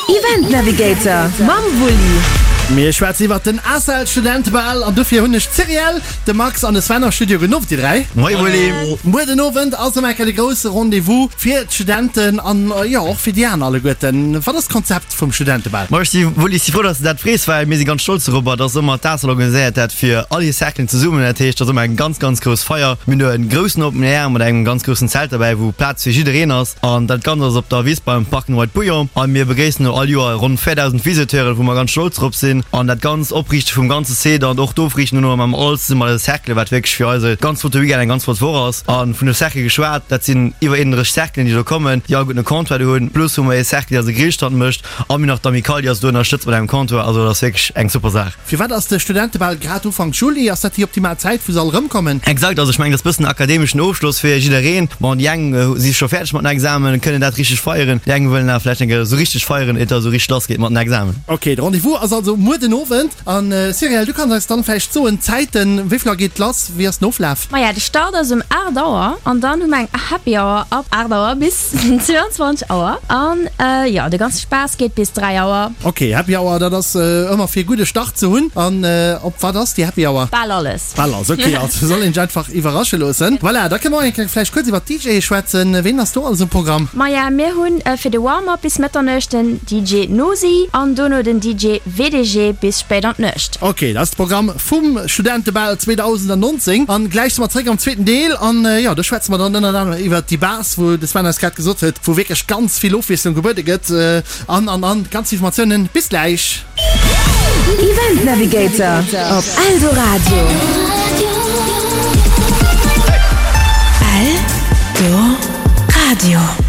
Event Navigator mam Wulli. Mir schwätzen iwwert den ACEL Studentebal an dofir hunn ech d'Cyrielle, de Max an de Sven am Studio. Gudden Owend dir 3. Moie Wulli. Muer den Owend ass ëm eng Kéier de grousse Rendez-vous fir d'Studenten an jo och fir déi aner alleguerten. Wat ass d'Konzept vum Studentebal? Ma ech si Wulli, ech si frou, dass de dat frees, well mir si ganz stolz dorobber, dass ëmmer d'ACEL organiséiert dat fir all hir Cerclen zesummen. Dat heescht, et ass ëmmer eng ganz, ganz grouss Feier. Mir hunn do e groussen Open Air mat engem ganz groussen Zelt derbäi, wou Plaz fir jiddereen ass. An dat Ganzt ass op der Wiss beim Park and Ride Bouillon. A mir begréissen do all Joer ronn 4.000 Visiteuren, wou mer ganz stolz drop sinn. An dat Ganzt Opriichte vum ganze Site an och d'Ofriichten dono mam alles zesumme mat eise Cerclen, wat wierklech fir eis e ganz flotte Weekend, eng ganz flott Woch ass. A vun de Cercle geschwat, dat sinn iwwer 31 Cerclen, déi do kommen, déi alleguerten e Comptoir do hunn. Plus hu mer ee Cercle, dee eise Grillstand mécht. A mir hunn nach d'Amicale, déi eis do ënnerstëtzt mat engem Comptoir. Also dat ass wierklech eng super Saach. Firwat ass de Studentebal grad Ufank Juli? Ass dat déi optimal Zäit, wou se all erëmkommen? Exakt, also ech mengen, dat ass bëssen akademeschen Ofschloss fir jiddereen. Bon, déi eng si scho fäerdeg mat den Examen, kënnen dat richteg feieren, déi eng wëllen awer vläicht eng Kéier esou richteg feieren, iert da esou richteg lass geet mat den Examen. Ok, de Rendez-vous ass also muer den Owend. An Cyrielle, du kanns eis dann vläicht soen, d'Zäiten, wéi vill Auer geet lass, wéi ass den Oflaf? Maja, de Start ass um 8 Auer an dann hu mer eng Happy Hour ab 8 Auer bis 22 Auer an jo, de ganze Spaass geet bis 3 Auer. Ok, Happy Hour, dat ass ëmmer fir e gudde Start ze hunn. An op wat ass déi Happy Hour? Bal alles. Bal alles, ok, also soll een sech einfach iwwerrasche loossen. Voilà, da kënne mer och eng Kéier vläicht kuerz iwwer d'DJe schwätzen. Ween ass do alles um Programm? Maja, mir hunn fir de Warm-Up bis Mëtternuecht den DJ Nosi an dono den DJ WDG bis spéit an d'Nuecht. Ok, dat ass de Programm vum Studentebal 2019. An gläich si mer zréck am zweeten Deel an jo, do schwätze mer dann ënnert anerem iwwert déi Base, wou de Sven eis grad gesot huet, wou wierklech ganz vill Ofwiesslung gebuede gëtt an an an ganz Informatiounen. Bis gläich! Event Navigator op Eldoradio. Eldoradio.